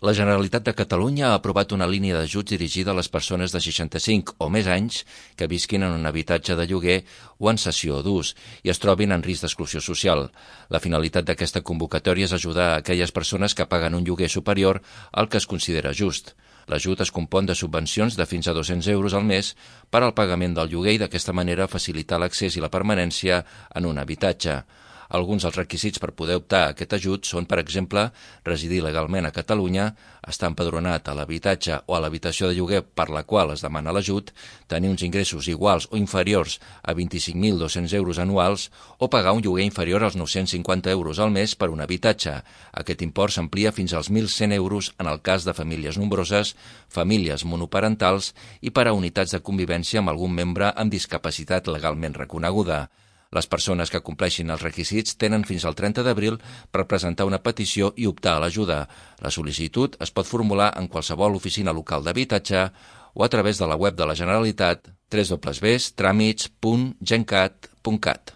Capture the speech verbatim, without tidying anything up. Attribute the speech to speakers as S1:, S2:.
S1: La Generalitat de Catalunya ha aprovat una línia d'ajuts dirigida a les persones de seixanta-cinc o més anys que visquin en un habitatge de lloguer o en cessió d'ús i es trobin en risc d'exclusió social. La finalitat d'aquesta convocatòria és ajudar a aquelles persones que paguen un lloguer superior al que es considera just. L'ajut es compon de subvencions de fins a dos-cents euros al mes per al pagament del lloguer i d'aquesta manera facilitar l'accés i la permanència en un habitatge. Alguns dels requisits per poder optar a aquest ajut són, per exemple, residir legalment a Catalunya, estar empadronat a l'habitatge o a l'habitació de lloguer per la qual es demana l'ajut, tenir uns ingressos iguals o inferiors a vint-i-cinc mil dos-cents euros anuals o pagar un lloguer inferior als nou-cents cinquanta euros al mes per un habitatge. Aquest import s'amplia fins als mil cent euros en el cas de famílies nombroses, famílies monoparentals i per a unitats de convivència amb algun membre amb discapacitat legalment reconeguda. Les persones que compleixin els requisits tenen fins al trenta d'abril per presentar una petició i optar a l'ajuda. La sol·licitud es pot formular en qualsevol oficina local d'habitatge o a través de la web de la Generalitat w w w punt tràmits punt gencat punt cat.